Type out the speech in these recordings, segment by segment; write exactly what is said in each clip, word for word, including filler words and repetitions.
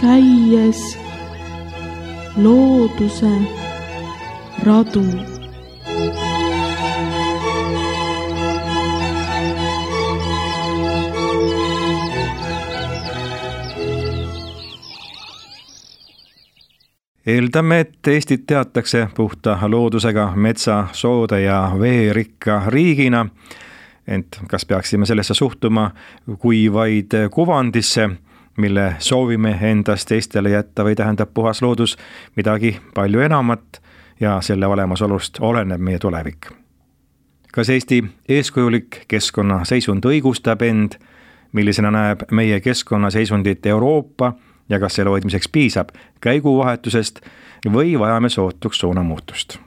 käies looduse radu. Eeldame, et Eestit teatakse puhta loodusega metsa, soode ja veerikka riigina, ent kas peaksime sellesse suhtuma kui vaid kuvandisse, mille soovime endast teistele jätta või tähendab puhas loodus midagi palju enamat ja selle olemasolust oleneb meie tulevik. Kas Eesti eeskujulik keskkonnaseisund õigustab end, millisena näeb meie keskkonnaseisundit Euroopa ja kas selle hoidmiseks piisab käiguvahetusest või vajame sootuks suunamuutust?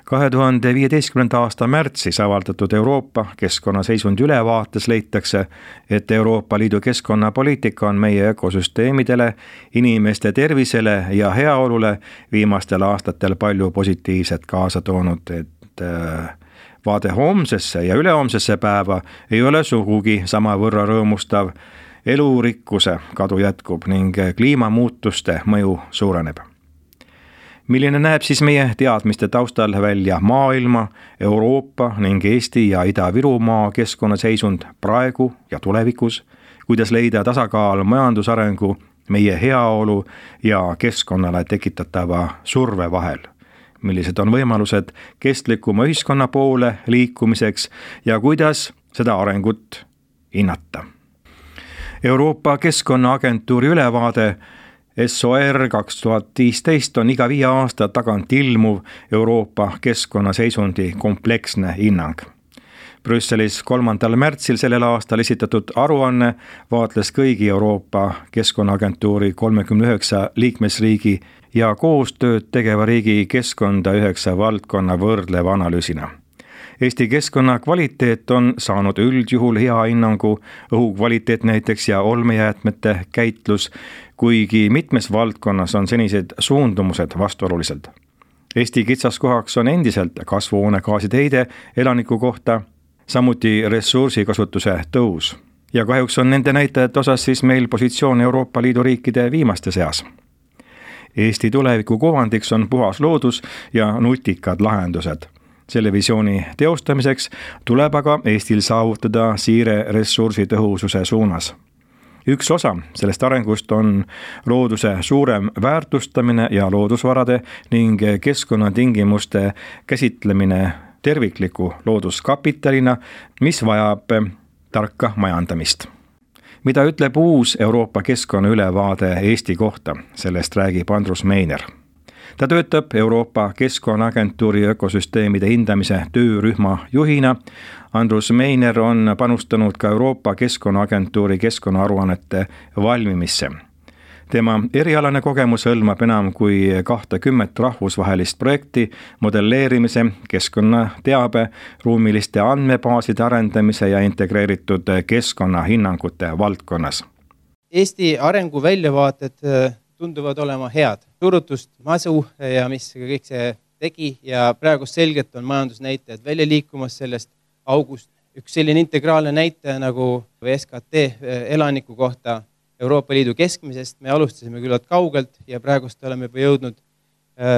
kahe tuhande viieteistkümnenda aasta märtsis avaldatud Euroopa keskkonnaseisundi ülevaates leitakse, et Euroopa Liidu keskkonnapoliitika on meie ökosüsteemidele, inimeste tervisele ja heaolule viimastel aastatel palju positiivset kaasa toonud, et vaade homsesse ja ülehomsesse päeva ei ole sugugi samavõrra rõõmustav. Elurikkuse kadu jätkub ning kliimamuutuste mõju suureneb. Milline näeb siis meie teadmiste taustal välja maailma, Euroopa ning Eesti ja Ida-Virumaa keskkonnaseisund praegu ja tulevikus, kuidas leida tasakaal majandusarengu, meie heaolu ja keskkonnale tekitatava surve vahel? Millised on võimalused kestlikuma ühiskonna poole liikumiseks ja kuidas seda arengut hinnata? Euroopa Keskkonnaagentuuri ülevaade S O R kaks tuhat viisteist on iga viie aasta tagant ilmuv Euroopa keskkonnaseisundi kompleksne hinnang. Brüsselis kolmandal märtsil sellel aastal esitatud aruanne vaatles kõigi Euroopa Keskkonnaagentuuri kolmekümne üheksa liikmesriigi ja koostööd tegeva riigi keskkonda üheksa valdkonna võrdleva analüüsina. Eesti keskkonna kvaliteet on saanud üldjuhul hea hinnangu, õhu kvaliteet näiteks ja olmejäätmete käitlus, kuigi mitmes valdkonnas on senised suundumused vastuolulised. Eesti kitsaskohaks on endiselt kasvuhoonegaaside heide elaniku kohta, samuti ressursikasutuse tõus. Ja kahjuks on nende näitajate osas siis meil positsioon Euroopa Liidu riikide viimaste seas. Eesti tuleviku kuvandiks on puhas loodus ja nutikad lahendused. Selle visiooni teostamiseks tuleb aga Eestil saavutada siire ressursi tõhususe suunas. Üks osa sellest arengust on looduse suurem väärtustamine ja loodusvarade ning keskkonnatingimuste käsitlemine tervikliku looduskapitalina, mis vajab tarka majandamist. Mida ütleb uus Euroopa keskkonna ülevaade Eesti kohta, sellest räägib Andrus Meiner. Ta töötab Euroopa Keskkonnaagentuuri ökosüsteemide hindamise töörühma juhina. Andrus Meiner on panustanud ka Euroopa Keskkonnaagentuuri keskkonnaaruannete valmimisse. Tema erialane kogemus hõlmab enam kui kahtekümmet rahvusvahelist projekti modelleerimise, keskkonnateabe, ruumiliste andmebaaside arendamise ja integreeritud keskkonnahinnangute valdkonnas. Eesti arengu väljavaated tunduvad olema head. Turutust masu ja mis kõik see tegi ja praegu selgelt on majandusnäitajad välja liikumas sellest august. Üks selline integraalne näitaja nagu S K T elaniku kohta Euroopa Liidu keskmisest. Me alustasime küllalt kaugelt ja praegust oleme juba jõudnud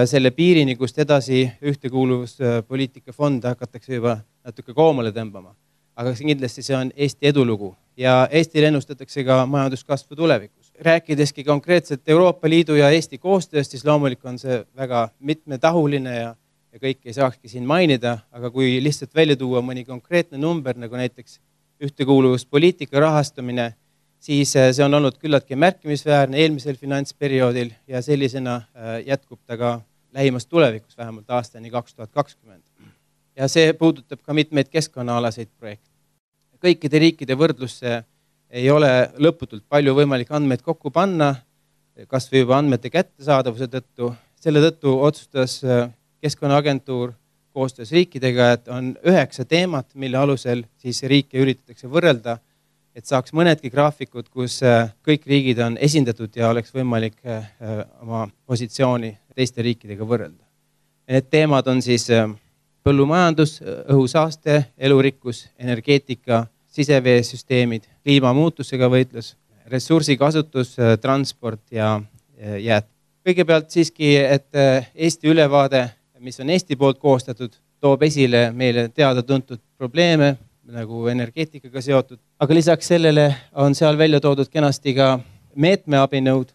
selle piirini, kust edasi ühtekuuluvuspoliitika fonde hakatakse juba natuke koomale tõmbama. Aga kindlasti see on Eesti edulugu ja Eestil ennustatakse ka majanduskasvu tulevikus. Rääkideski konkreetselt Euroopa Liidu ja Eesti koostööst, siis loomulik on see väga mitmetahuline ja, ja kõik ei saakski siin mainida, aga kui lihtsalt välja tuua mõni konkreetne number, nagu näiteks ühtekuuluvuspoliitika rahastamine, siis see on olnud küllaltki märkimisväärne eelmisel finantsperioodil ja sellisena jätkub ta ka lähimas tulevikus, vähemalt aastani kaks tuhat kakskümmend. Ja see puudutab ka mitmeid keskkonnaalaseid projekte. Kõikide riikide võrdlusse ei ole lõputult palju võimalik andmeid kokku panna, kas või juba andmete kättesaadavuse tõttu. Selle tõttu otsustas Keskkonnaagentuur koostöös riikidega, et on üheksa teemat, mille alusel siis riike üritatakse võrrelda, et saaks mõnedki graafikud, kus kõik riigid on esindatud ja oleks võimalik oma positsiooni teiste riikidega võrrelda. Need teemad on siis põllumajandus, õhusaaste, elurikkus, energeetika, siseveesüsteemid, kliimamuutusega võitlus, ressursikasutus, transport ja jääd. Kõigepealt siiski, et Eesti ülevaade, mis on Eesti poolt koostatud, toob esile meile teada tuntud probleeme, nagu energeetikaga seotud, aga lisaks sellele on seal välja toodud kenasti ka meetmeabinõud.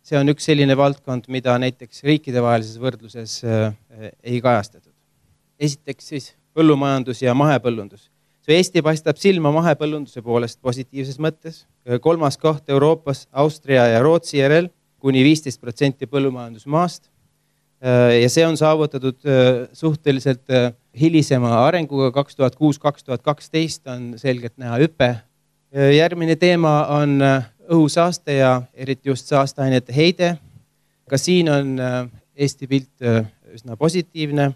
See on üks selline valdkond, mida näiteks riikidevahelises võrdluses ei kajastatud. Esiteks siis põllumajandus ja mahepõllundus. See Eesti paistab silma mahepõllunduse poolest positiivses mõttes. Kolmas koht Euroopas, Austria ja Rootsi järel, kuni viisteist protsenti põllumajandusmaast. Ja see on saavutatud suhteliselt hilisema arenguga kaks tuhat kuus kaks tuhat kaksteist on selgelt näha hüpe. Järgmine teema on õhusaaste ja eriti just saasteainete heide. Ka siin on Eesti pilt üsna positiivne.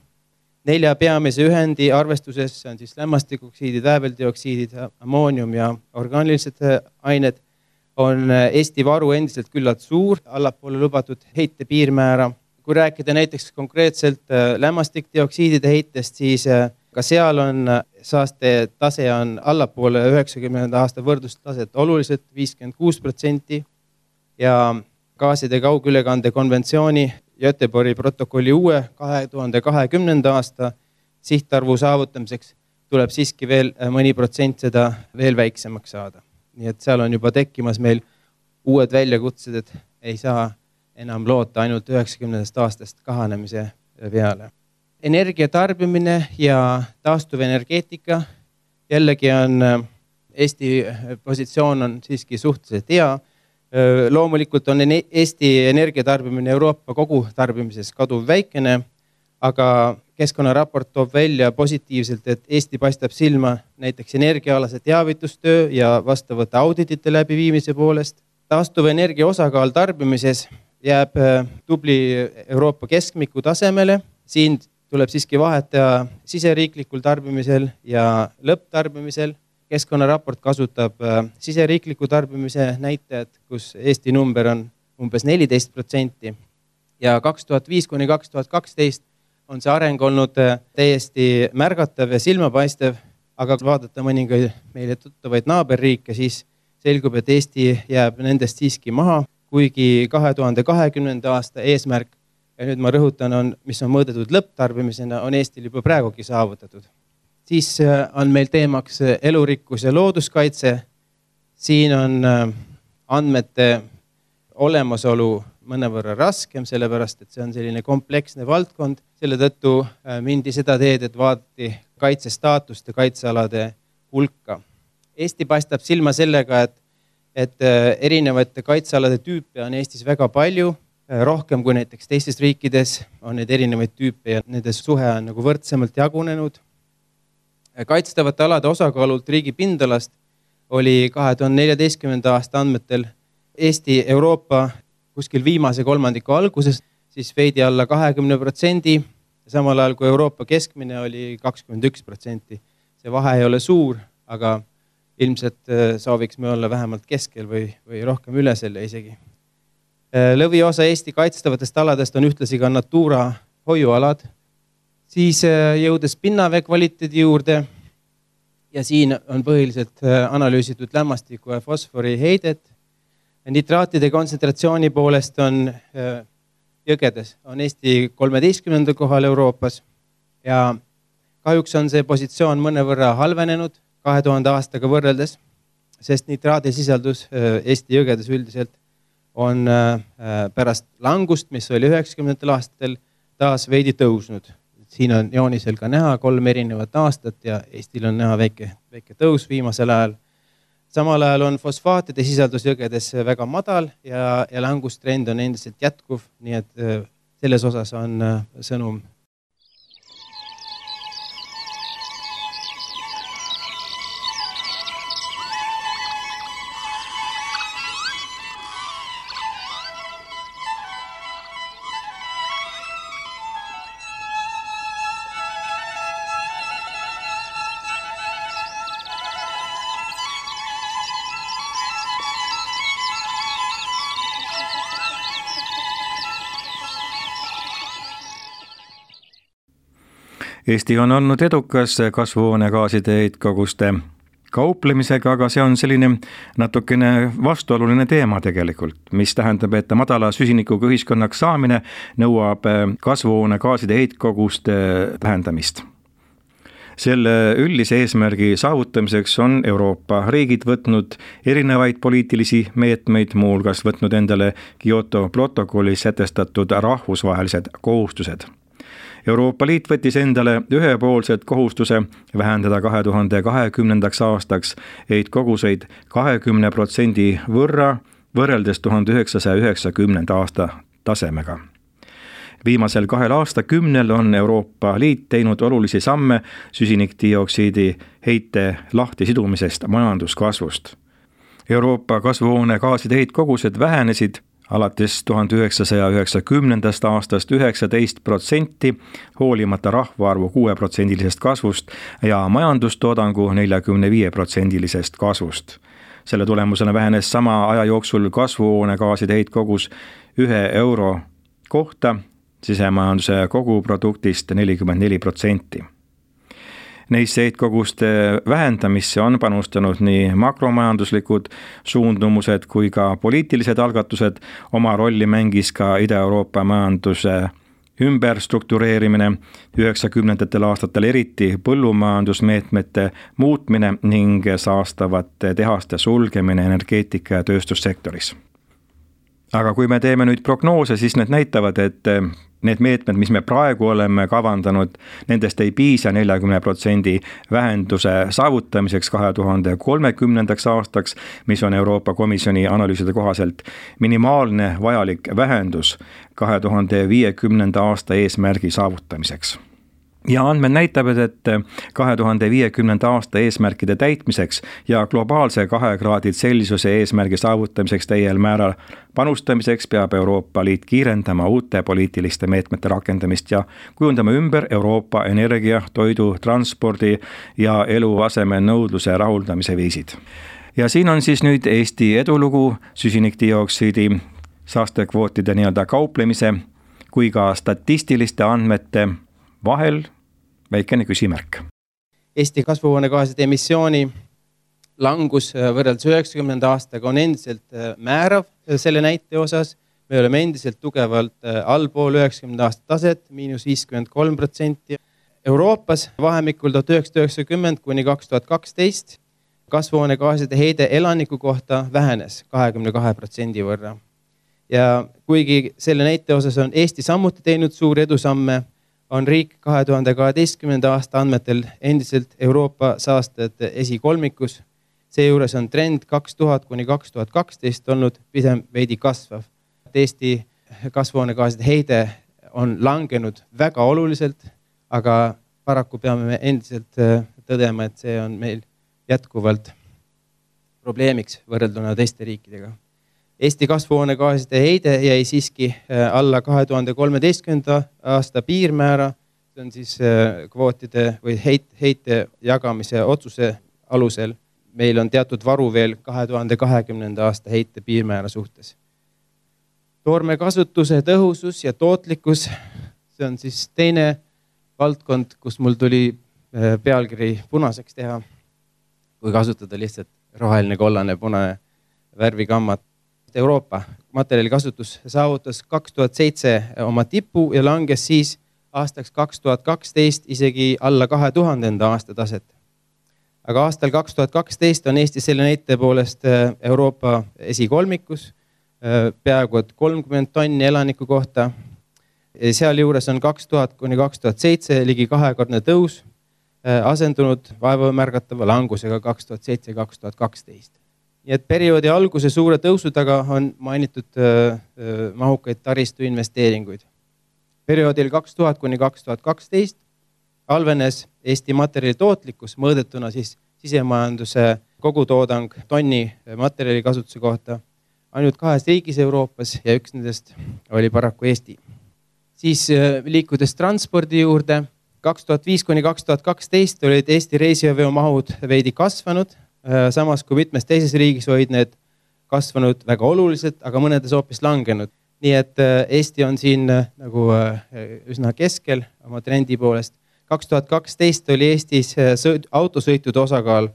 Nelja peamise ühendi arvestuses on siis lämmastikoksiidid, vääveldioksiidid, ammoonium ja orgaanilised ained on Eesti varu endiselt küllalt suur, allapoole lubatud heite piirmäära. Kui rääkida näiteks konkreetselt lämmastikdioksiidide heitest, siis ka seal on saaste tase on allapoole üheksakümnenda aasta võrdlustaset oluliselt viiskümmend kuus protsenti ja gaaside kaugülekande konventsiooni Göteborgi protokolli uue kahe tuhande kahekümnenda aasta sihtarvu saavutamiseks tuleb siiski veel mõni protsent seda veel väiksemaks saada. Nii et seal on juba tekkimas meil uued väljakutsed, et ei saa enam loota ainult üheksakümnendast aastast kahanemise peale. Energia tarbimine ja taastuvenergeetika. Jällegi on Eesti positsioon on siiski suhteliselt hea. Loomulikult on Eesti energiatarbimine Euroopa kogu tarbimises kaduv väikene, aga keskkonnaraport toob välja positiivselt, et Eesti paistab silma näiteks energiaalase teavitustöö ja vastavate auditite läbiviimise poolest. Taastuv energia osakaal tarbimises jääb tubli Euroopa keskmiku tasemele. Siin tuleb siiski vahetada siseriiklikul tarbimisel ja lõpptarbimisel. Keskkonnaraport kasutab siseriikliku tarbimise näitajad, kus Eesti number on umbes neliteist protsenti ja kaks tuhat viis kuni kaks tuhat kaksteist on see areng olnud täiesti märgatav ja silmapaistev, aga vaadata mõningaid meile tuttavaid naaberriike, siis selgub, et Eesti jääb nendest siiski maha, kuigi kahe tuhande kahekümnenda aasta eesmärk, ja nüüd ma rõhutan, on, mis on mõõdetud lõpptarbimisena, on Eestil juba praegugi saavutatud. Siis on meil teemaks elurikkus ja looduskaitse. Siin on andmete olemasolu mõnevõrra raskem, sellepärast, et see on selline kompleksne valdkond. Selle tõttu mindi seda teed, et vaadati kaitsestaatust ja kaitsealade hulka. Eesti paistab silma sellega, et, et erinevate kaitsealade tüüpe on Eestis väga palju, rohkem kui näiteks teistes riikides on need erinevaid tüüpe ja nende suhe on nagu võrdsemalt jagunenud. Kaitstavate alade osakaalult riigi pindalast oli kahe tuhande neljateistkümnenda aasta andmetel Eesti Euroopa kuskil viimase kolmandiku alguses, siis veidi alla kahekümne protsendi, samal ajal kui Euroopa keskmine oli kakskümmend üks protsenti. See vahe ei ole suur, aga ilmselt sooviks me olla vähemalt keskel või, või rohkem üle selle isegi. Lõviosa Eesti kaitstavatest aladest on ühtlasi ka Natura hoiualad. Siis jõudes pinnavee kvaliteedi juurde ja siin on põhiliselt analüüsitud lämmastiku ja fosfori heidet. Nitraatide kontsentratsiooni poolest on jõgedes, on Eesti kolmeteistkümnendal kohal Euroopas ja kahjuks on see positsioon mõnevõrra halvenenud kahe tuhande aastaga võrreldes, sest nitraadisisaldus Eesti jõgedes üldiselt on pärast langust, mis oli üheksakümnendatel aastatel, taas veidi tõusnud. Siin on joonisel ka näha kolm erinevat aastat ja Eestil on näha väike, väike tõus viimasel ajal. Samal ajal on fosfaatide sisaldus jõgedes väga madal ja, ja langustrend on endiselt jätkuv, nii et selles osas on sõnum. Eesti on olnud edukas kasvuhoonegaaside heitkoguste kauplemisega, aga see on selline natukene vastuoluline teema tegelikult, mis tähendab, et madala süsinikuga ühiskonnaks saamine nõuab kasvuhoonegaaside heitkoguste vähendamist. Selle üldise eesmärgi saavutamiseks on Euroopa riigid võtnud erinevaid poliitilisi meetmeid, muuhulgas võtnud endale Kyoto protokollis sätestatud rahvusvahelised kohustused. Euroopa Liit võttis endale ühepoolsed kohustuse vähendada kahe tuhande kahekümnendaks aastaks heitkoguseid kahekümne protsendi võrra võrreldes tuhande üheksasaja üheksakümnenda aasta tasemega. Viimasel kahel aastakümnel on Euroopa Liit teinud olulisi samme süsinikdioksiidi heite lahtisidumisest majanduskasvust. Euroopa kasvuhoonegaaside heitkogused vähenesid alates tuhande üheksasaja üheksakümnendast aastast üheksateist protsenti, hoolimata rahvaarvu kuue protsendilisest kasvust ja majandustoodangu neljakümne viie protsendilisest kasvust. Selle tulemusena vähenes sama aja jooksul kasvuhoonegaaside heitkogus ühe euro kohta sisemajanduse koguproduktist nelikümmend neli protsenti. Neisse heitkoguste vähendamisse on panustanud nii makromajanduslikud suundumused kui ka poliitilised algatused. Oma rolli mängis ka Ida-Euroopa majanduse ümberstruktureerimine, üheksakümnendatel aastatel eriti põllumajandusmeetmete muutmine ning saastavate tehaste sulgemine energeetika- ja tööstussektoris. Aga kui me teeme nüüd prognoose, siis need näitavad, et need meetmed, mis me praegu oleme kavandanud, nendest ei piisa neljakümne protsendi vähenduse saavutamiseks kahe tuhande kolmekümnendaks aastaks, mis on Euroopa Komisjoni analüüside kohaselt minimaalne vajalik vähendus kahe tuhande viiekümnenda aasta eesmärgi saavutamiseks. Ja andmed näitavad, et kahe tuhande viiekümnenda aasta eesmärkide täitmiseks ja globaalse kahe kraadi Celsiuse eesmärgi saavutamiseks täiel määral panustamiseks peab Euroopa Liit kiirendama uute poliitiliste meetmete rakendamist ja kujundama ümber Euroopa energia, toidu, transpordi ja eluaseme nõudluse rahuldamise viisid. Ja siin on siis nüüd Eesti edulugu süsinikdioksiidi saastekvootide nii-öelda kauplemise kui ka statistiliste andmete vahel väikene küsimärk. Eesti kasvuhoonegaaside emissiooni langus võrreldes üheksakümnenda aastaga on endiselt määrav selle näite osas. Me oleme endiselt tugevalt allpool üheksakümnenda aasta taset, miinus viiskümmend kolm protsenti. Euroopas vahemikul tuhat üheksasada üheksakümmend kuni kaks tuhat kaksteist kasvuhoonegaaside heide elaniku kohta vähenes kahekümne kahe protsendi võrra. Ja kuigi selle näite osas on Eesti samuti teinud suuri edusamme, on riik kahe tuhande kaheteistkümnenda aasta andmetel endiselt Euroopa saastajate esikolmikus. Seejuures on trend kaks tuhat kuni kaks tuhat kaksteist olnud pigem veidi kasvav. Eesti kasvuhoonegaaside heide on langenud väga oluliselt, aga paraku peame me endiselt tõdema, et see on meil jätkuvalt probleemiks võrrelduna teiste riikidega. Eesti kasvuhoonegaaside heide jäi siiski alla kahe tuhande kolmeteistkümnenda aasta piirmäära, see on siis kvootide või heit, heite jagamise otsuse alusel. Meil on teatud varu veel kahe tuhande kahekümnenda aasta heite piirmäära suhtes. Toorme kasutuse tõhusus ja tootlikkus, see on siis teine valdkond, kus mul tuli pealkiri punaseks teha, kui kasutada lihtsalt roheline, kollane, punane värvikammat. Euroopa materjali kasutus saavutas kaks tuhat seitse oma tipu ja langes siis aastaks kaks tuhat kaksteist isegi alla kahe tuhandenda aasta taset. Aga aastal kaks tuhat kaksteist on Eesti selle näite poolest Euroopa esikolmikus, peaaegu et kolmkümmend tonni elaniku kohta. Seal juures on kaks tuhat kuni kaks tuhat seitse ligi kahekordne tõus asendunud vaevamärgatava langusega kaks tuhat seitse kaks tuhat kaksteist. Nii et perioodi alguse suure tõusu taga on mainitud mahukaid taristu investeeringuid. Perioodil kaks tuhat kuni kaks tuhat kaksteist halvenes Eesti materjali tootlikkus mõõdetuna siis sisemajanduse kogutoodang tonni materjali kasutuse kohta ainult kahes riigis Euroopas ja üks nendest oli paraku Eesti. Siis liikudes transpordi juurde, kaks tuhat viis kuni kaks tuhat kaksteist olid Eesti reisijaveo mahud veidi kasvanud, samas kui mitmes teises riigis olid need kasvanud väga oluliselt, aga mõnedes hoopis langenud. Nii et Eesti on siin nagu üsna keskel oma trendi poolest. kaks tuhat kaksteist oli Eestis autosõitude osakaal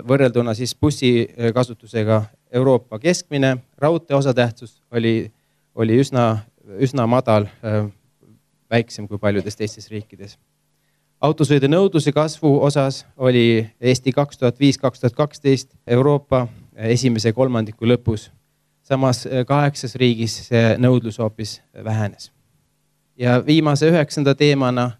võrrelduna siis bussi kasutusega Euroopa keskmine. Raudtee osatähtsus oli, oli üsna, üsna madal, väiksem kui paljudes teistes riikides. Autosõidu nõudluse kasvu osas oli Eesti kaks tuhat viis kaks tuhat kaksteist Euroopa esimese kolmandiku lõpus. Samas kaheksas riigis see nõudlus hoopis vähenes. Ja viimase üheksanda teemana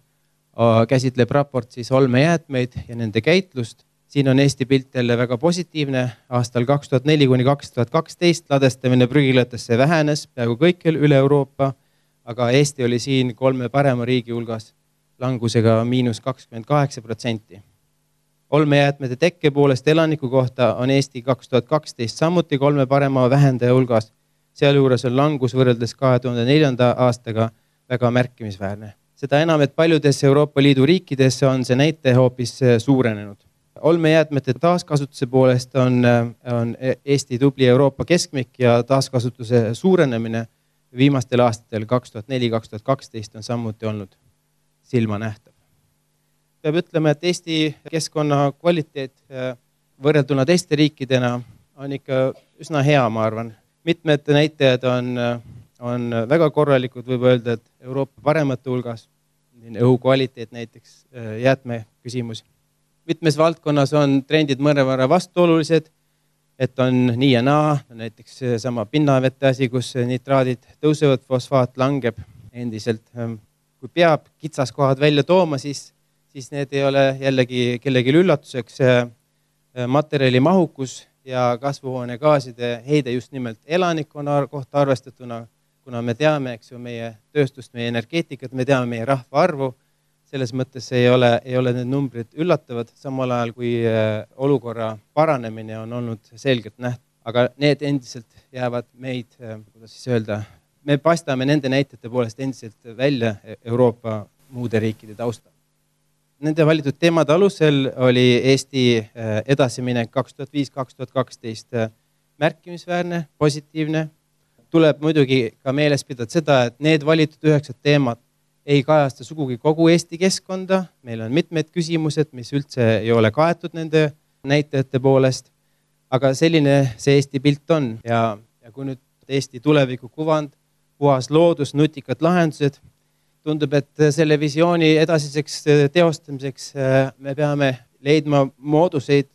käsitleb raport siis olmejäätmeid ja nende käitlust. Siin on Eesti pilt jälle väga positiivne. Aastal kaks tuhat neli kuni kaks tuhat kaksteist ladestamine prügilatesse vähenes peaaegu kõikjal üle Euroopa, aga Eesti oli siin kolme parema riigi hulgas langusega miinus kakskümmend kaheksa protsenti. Olmejäätmete tekke poolest elaniku kohta on Eesti kaks tuhat kaksteist samuti kolme parema vähendaja hulgas. Sealjuures on langus võrreldes kahe tuhande neljanda aastaga väga märkimisväärne. Seda enam, et paljudes Euroopa Liidu riikides on see näite hoopis suurenenud. Olmejäätmete taaskasutuse poolest on, on Eesti tubli Euroopa keskmik ja taaskasutuse suurenemine viimastel aastatel kaks tuhat neli kaks tuhat kaksteist on samuti olnud silma nähtav. Peab ütlema, et Eesti keskkonna kvaliteet võrrelduna teiste riikidena on ikka üsna hea, ma arvan. Mitmed näitajad on, on väga korralikud, võib öelda, et Euroopa paremate hulgas, õhu kvaliteet näiteks, jäätme küsimus. Mitmes valdkonnas on trendid mõnevõrra vastuolulised, et on nii ja naa, näiteks sama pinnavete asi, kus nitraadid tõusevad, fosfaat langeb endiselt. Kui peab kitsaskohad välja tooma, siis, siis need ei ole jällegi kellegi üllatuseks. Materjali mahukus ja kasvuhoonegaaside heide just nimelt elanikkonna kohta arvestatuna, kuna me teame, eks ju, meie tööstust, meie energeetikat, me teame meie rahva arvu. Selles mõttes ei ole, ei ole need numbrid üllatavad, samal ajal kui olukorra paranemine on olnud selgelt nähtud. Aga need endiselt jäävad meid, kuidas siis öelda, me paistame nende näitajate poolest endiselt välja Euroopa muude riikide taustal. Nende valitud teemade alusel oli Eesti edasiminek kaks tuhat viis kaks tuhat kaksteist märkimisväärne, positiivne. Tuleb muidugi ka meeles pidada seda, et need valitud üheksad teemad ei kajasta sugugi kogu Eesti keskkonda. Meil on mitmed küsimused, mis üldse ei ole kaetud nende näitajate poolest. Aga selline see Eesti pilt on. Ja, ja kui nüüd Eesti tuleviku kuvand, puhas loodus, nutikad lahendused, tundub, et selle visiooni edasiseks teostamiseks me peame leidma mooduseid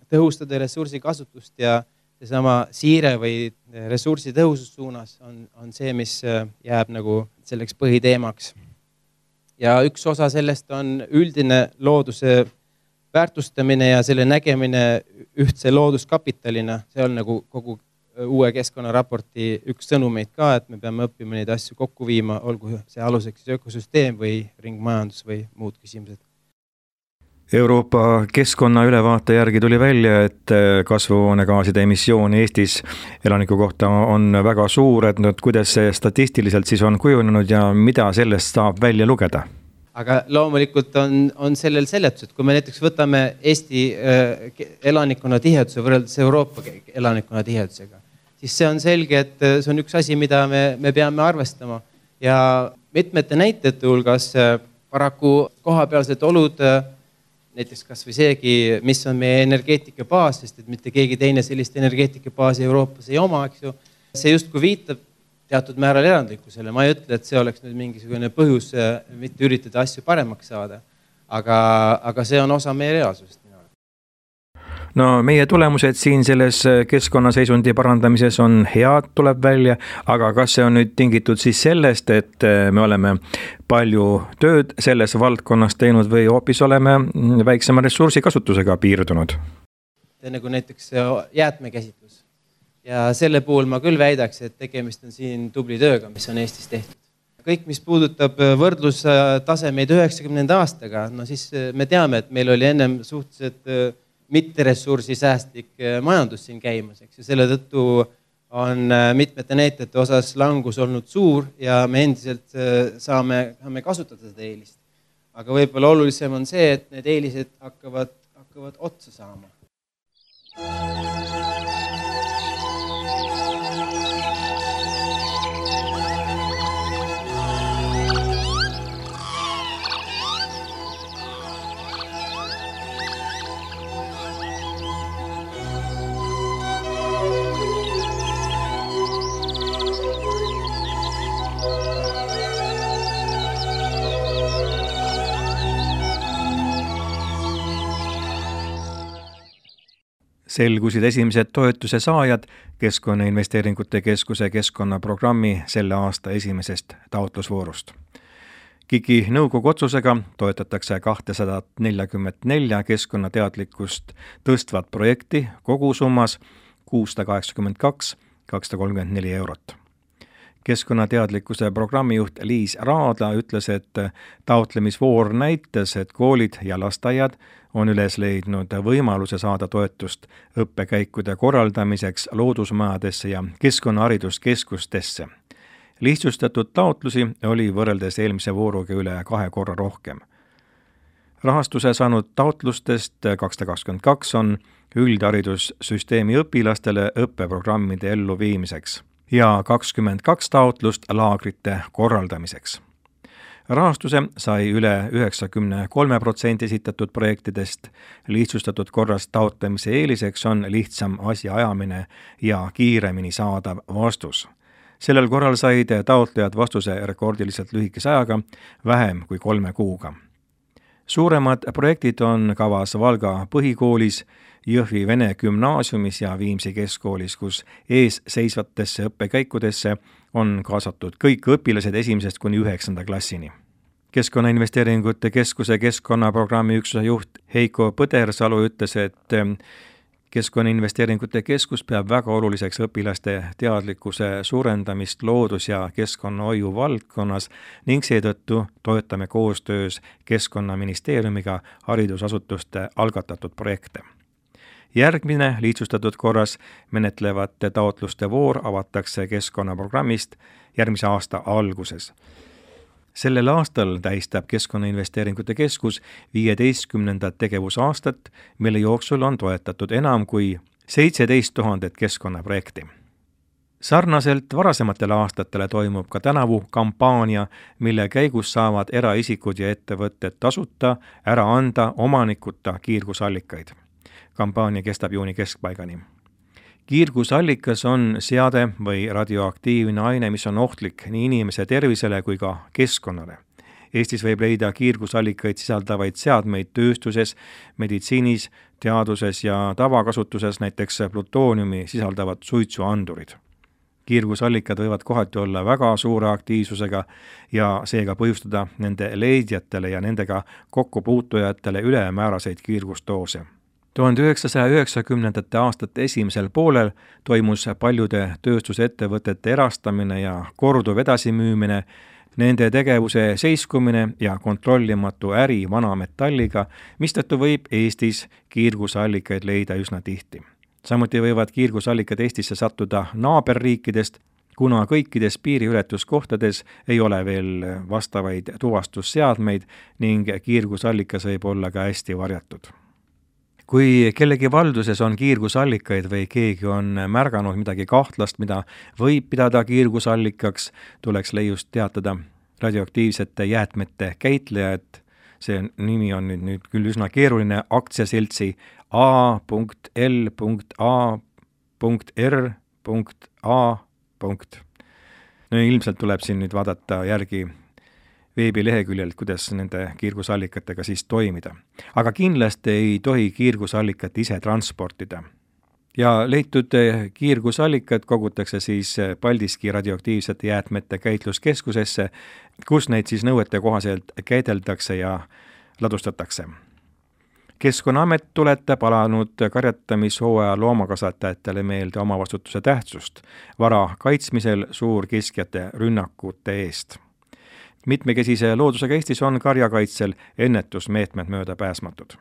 tõhustada ressursi kasutust ja seesama siire või ressursi tõhusus suunas on, on see, mis jääb nagu selleks põhiteemaks. Ja üks osa sellest on üldine looduse väärtustamine ja selle nägemine ühtse looduskapitalina. See on nagu kogu uue keskkonnaraporti üks sõnumeid ka, et me peame õppima neid asju kokku viima, olgu see aluseks ökosüsteem või ringmajandus või muud küsimused. Euroopa keskkonna ülevaate järgi tuli välja, et kasvuhoonegaaside emissioon Eestis elaniku kohta on väga suur, et nüüd, kuidas see statistiliselt siis on kujunenud ja mida sellest saab välja lugeda? Aga loomulikult on, on sellel seletused. Kui me näiteks võtame Eesti elanikkonna tiheduse võrreldes Euroopa elanikkonna tihedusega, siis see on selge, et see on üks asi, mida me, me peame arvestama. Ja mitmete näitajate hulgas paraku kohapealsed olud, näiteks kas või seegi, mis on meie energeetika baas, sest et mitte keegi teine sellist energeetika baasi Euroopas ei oma, eks ju. See justkui viitab teatud määral erandlikkusele. Ma ei ütle, et see oleks nüüd mingisugune põhjus mitte üritada asju paremaks saada, aga, aga see on osa meie reaalsusest. No meie tulemused siin selles keskkonnaseisundi parandamises on head, tuleb välja, aga kas see on nüüd tingitud siis sellest, et me oleme palju tööd selles valdkonnas teinud või hoopis oleme väiksema ressursi kasutusega piirdunud? Nagu näiteks jäätmekäsitlus. Ja selle puhul ma küll väidaks, et tegemist on siin tubli tööga, mis on Eestis tehtud. Kõik, mis puudutab võrdlustasemeid üheksakümnenda aastaga, no siis me teame, et meil oli ennem suhteliselt mitte ressursi säästlik majandus siin käimas, eks. Ja selle tõttu on mitmete näitajate osas langus olnud suur ja me endiselt saame, saame kasutada seda eelist. Aga võib-olla olulisem on see, et need eelised hakkavad, hakkavad otsa saama. Selgusid esimesed toetuse saajad Keskkonnainvesteeringute Keskuse keskkonnaprogrammi selle aasta esimesest taotlusvoorust. KIK-i nõukogu otsusega toetatakse kahtesada nelikümmend neli keskkonnateadlikkust tõstvat projekti kogusummas kuussada kaheksakümmend kaks tuhat kakssada kolmkümmend neli eurot. Keskkonnateadlikkuse programmijuht Liis Raadla ütles, et taotlemisvoor näitas, et koolid ja lasteaiad on üles leidnud võimaluse saada toetust õppekäikude korraldamiseks loodusmajadesse ja keskkonnahariduskeskustesse. Lihtsustatud taotlusi oli võrreldes eelmise vooruga üle kahe korra rohkem. Rahastuse saanud taotlustest kakssada kakskümmend kaks on üldharidussüsteemi õpilastele õppeprogrammide elluviimiseks ja kakskümmend kaks taotlust laagrite korraldamiseks. Rahastuse sai üle üheksakümmend kolm protsenti esitatud projektidest. Lihtsustatud korras taotlemise eeliseks on lihtsam asja ajamine ja kiiremini saadav vastus. Sellel korral said taotlejad vastuse rekordiliselt lühikese ajaga, vähem kui kolme kuuga. Suuremad projektid on kavas Valga põhikoolis, Jõhvi Vene gümnaasiumis ja Viimsi keskkoolis, kus ees seisvatesse õppekäikudesse on kaasatud kõik õpilased esimesest kuni üheksanda klassini. Keskkonnainvesteeringute Keskuse keskkonnaprogrammi üksuse juht Heiko Põdersalu ütles, et Keskkonnainvesteeringute Keskus peab väga oluliseks õpilaste teadlikkuse suurendamist loodus- ja keskkonnahoiu valdkonnas ning seetõttu toetame koostöös Keskkonnaministeeriumiga haridusasutuste algatatud projekte. Järgmine lihtsustatud korras menetlevate taotluste voor avatakse keskkonnaprogrammist järgmise aasta alguses. Sellel aastal tähistab Keskkonnainvesteeringute Keskus viieteistkümnendat tegevusaastat, mille jooksul on toetatud enam kui seitseteist tuhandet keskkonnaprojekti. Sarnaselt varasematele aastatele toimub ka tänavu kampaania, mille käigus saavad eraisikud ja ettevõtted tasuta ära anda omanikuta kiirgusallikaid. Kampaania kestab juuni keskpaigani. Kiirgusallikas on seade või radioaktiivne aine, mis on ohtlik nii inimese tervisele kui ka keskkonnale. Eestis võib leida kiirgusallikaid sisaldavaid seadmeid tööstuses, meditsiinis, teaduses ja tavakasutuses, näiteks plutooniumi sisaldavad suitsuandurid. Kiirgusallikad võivad kohati olla väga suure aktiivsusega ja seega põhjustada nende leidjatele ja nendega kokkupuutujatele ülemääraseid kiirgustoose. tuhande üheksasaja üheksakümnendate aastate esimesel poolel toimus paljude tööstusettevõtete erastamine ja korduv edasimüümine, nende tegevuse seiskumine ja kontrollimatu äri vanametalliga, mistõttu võib Eestis kiirgusallikaid leida üsna tihti. Samuti võivad kiirgusallikad Eestisse sattuda naaberriikidest, kuna kõikides piiriületuskohtades ei ole veel vastavaid tuvastusseadmeid ning kiirgusallikas võib olla ka hästi varjatud. Kui kellegi valduses on kiirgusallikaid või keegi on märganud midagi kahtlast, mida võib pidada kiirgusallikaks, tuleks leiust teatada radioaktiivsete jäätmete käitlejad. See nimi on nüüd, nüüd küll üsna keeruline, aktsiaseltsi A L A R A. No ilmselt tuleb siin nüüd vaadata järgi veebileheküljelt, kuidas nende kiirgusallikatega siis toimida. Aga kindlasti ei tohi kiirgusallikat ise transportida. Ja leitud kiirgusallikad kogutakse siis Paldiski radioaktiivsete jäätmete käitluskeskusesse, kus neid siis nõuete kohaselt käideldakse ja ladustatakse. Keskkonnaamet tuletab alanud karjatamishooaja loomakasvatajatele meelde omavastutuse tähtsust vara kaitsmisel suurkiskjate rünnakute eest. Mitmekesise loodusega Eestis on karjakaitsel ennetusmeetmed möödapääsmatud.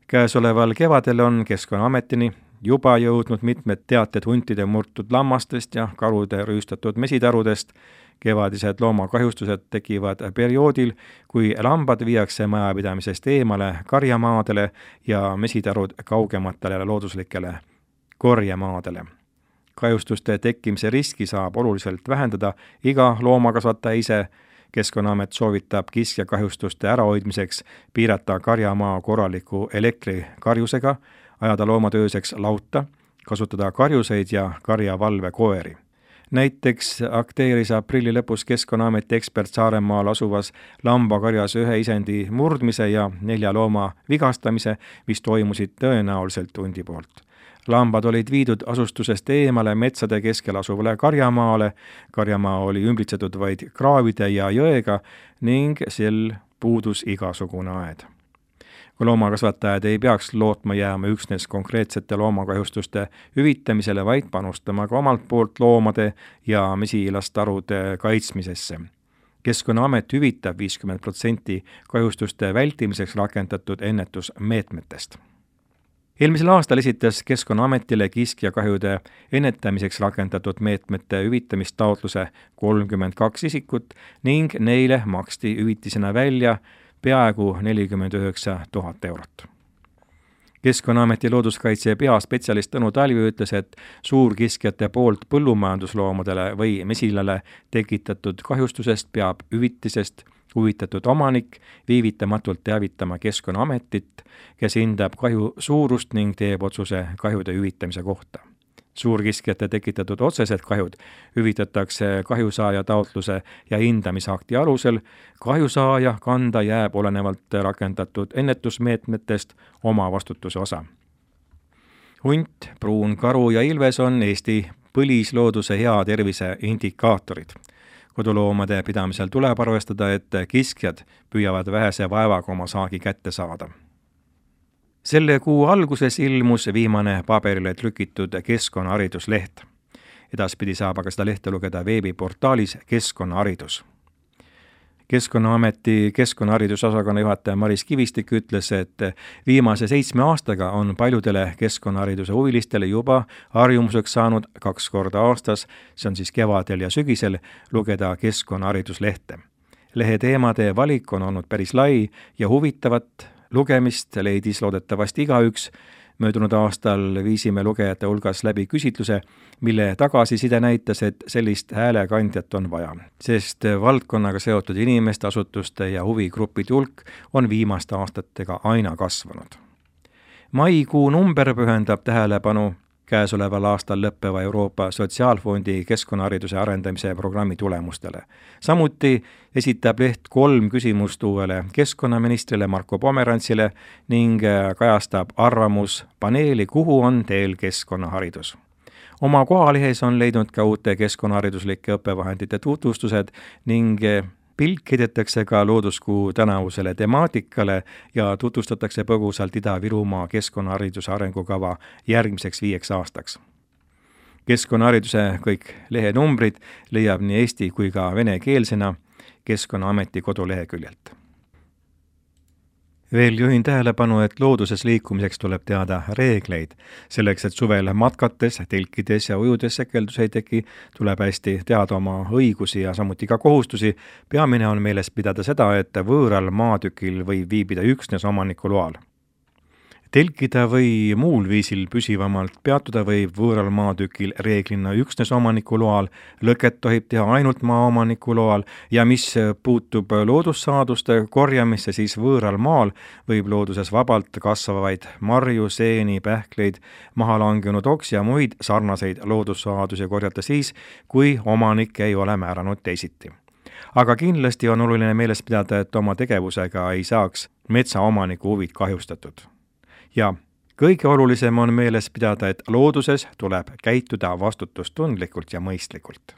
Käesoleval kevadel on Keskkonnaametini juba jõudnud mitmed teated huntide murtud lammastest ja karude rüüstatud mesitarudest. Kevadised loomakahjustused tekivad perioodil, kui lambad viiakse majapidamisest eemale karjamaadele ja mesitarud kaugematele looduslikele korjemaadele. Kahjustuste tekkimise riski saab oluliselt vähendada iga loomakasvataja ise. Keskkonnaamet soovitab kiskjakahjustuste ärahoidmiseks piirata karjamaa korraliku elektrikarjusega, ajada loomatööseks lauta, kasutada karjuseid ja karjavalvekoeri. Näiteks akteeris aprilli lõpus Keskkonnaameti ekspert Saaremaal asuvas lambakarjas ühe isendi murdmise ja nelja looma vigastamise, mis toimusid tõenäoliselt hundi poolt. Lambad olid viidud asustusest eemale metsade keskel asuvale karjamaale, karjamaa oli ümbritsetud vaid kraavide ja jõega ning sel puudus igasugune aed. Kui loomakasvatajad ei peaks lootma jääma üksnes konkreetsete loomakahjustuste hüvitamisele, vaid panustama ka omalt poolt loomade ja mesilastarude kaitsmisesse. Keskkonnaamet hüvitab viiskümmend protsenti kahjustuste vältimiseks rakendatud ennetusmeetmetest. Eelmisel aastal esitas Keskkonnaametile kiskjakahjude ennetamiseks rakendatud meetmete hüvitamistaotluse kolmkümmend kaks isikut ning neile maksti hüvitisena välja peaaegu nelikümmend üheksa tuhat eurot. Keskkonnaameti looduskaitse peaspetsialist Tõnu Talvi ütles, et suurkiskjate poolt põllumajandusloomadele või mesilale tekitatud kahjustusest peab hüvitisest huvitatud omanik viivitamatult teavitama Keskkonnaametit, kes hindab kahju suurust ning teeb otsuse kahjude hüvitamise kohta. Suurkiskjate tekitatud otsesed kahjud hüvitatakse kahjusaaja taotluse ja hindamisakti alusel. Kahjusaaja kanda jääb olenevalt rakendatud ennetusmeetmetest oma vastutuse osa. Hunt, pruun karu ja ilves on Eesti põlislooduse hea tervise indikaatorid. Koduloomade pidamisel tuleb arvestada, et kiskjad püüavad vähese vaevaga oma saagi kätte saada. Selle kuu alguses ilmus viimane paberile trükitud keskkonnaharidusleht. Edaspidi saab aga seda lehte lugeda veebiportaalis Keskkonnaharidus. Keskkonnaameti keskkonnaharidusosakonna juhataja Maris Kivistik ütles, et viimase seitsme aastaga on paljudele keskkonnahariduse huvilistele juba harjumuseks saanud kaks korda aastas, see on siis kevadel ja sügisel, lugeda keskkonnahariduslehte. Lehe teemade valik on olnud päris lai ja huvitavat lugemist leidis loodetavasti igaüks. Möödunud aastal viisime lugejate hulgas läbi küsitluse, mille tagasiside näitas, et sellist häälekandjat on vaja, sest valdkonnaga seotud inimeste, asutuste ja huvigrupid hulk on viimaste aastatega aina kasvanud. Maikuu number pühendab tähelepanu käesoleval aastal lõppeva Euroopa Sotsiaalfondi keskkonnahariduse arendamise programmi tulemustele. Samuti esitab leht kolm küsimust uuele keskkonnaministrile Marko Pomerantsile ning kajastab arvamuspaneeli, kuhu on teel keskkonnaharidus. Oma kohalehes on leidnud ka uute keskkonnahariduslike õppevahendite tutvustused ning pilk heidetakse ka looduskuu tänavusele temaatikale ja tutvustatakse põgusalt Ida-Virumaa keskkonnahariduse arengukava järgmiseks viieks aastaks. Keskkonnahariduse kõik lehenumbrid leiab nii eesti kui ka venekeelsena Keskkonnaameti koduleheküljelt. Veel juhin tähelepanu, et looduses liikumiseks tuleb teada reegleid. Selleks, et suvel matkates, telkides ja ujudes sekeldus ei teki, tuleb hästi teada oma õigusi ja samuti ka kohustusi. Peamine on meeles pidada seda, et võõral maatükil võib viibida üksnes omaniku loal. Telkida või muul viisil püsivamalt peatuda võib võõral maatükil reeglina üksnes omaniku loal, lõket tohib teha ainult maaomaniku loal ja mis puutub loodussaaduste korjamisse, siis võõral maal võib looduses vabalt kasvavaid marju, seeni, pähkleid, maha langenud oks ja muid sarnaseid loodussaadusi korjata siis, kui omanik ei ole määranud teisiti. Aga kindlasti on oluline meeles pidada, et oma tegevusega ei saaks metsaomaniku huvid kahjustatud. Ja kõige olulisem on meeles pidada, et looduses tuleb käituda vastutustundlikult ja mõistlikult.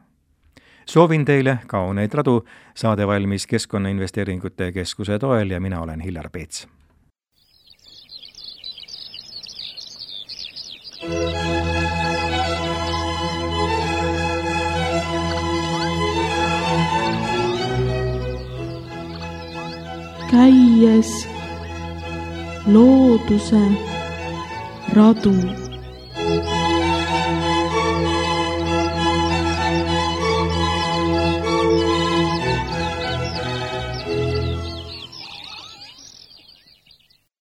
Soovin teile kauneid radu, saade valmis Keskkonnainvesteeringute Keskuse toel ja mina olen Hillar Peets. Käies looduse radu.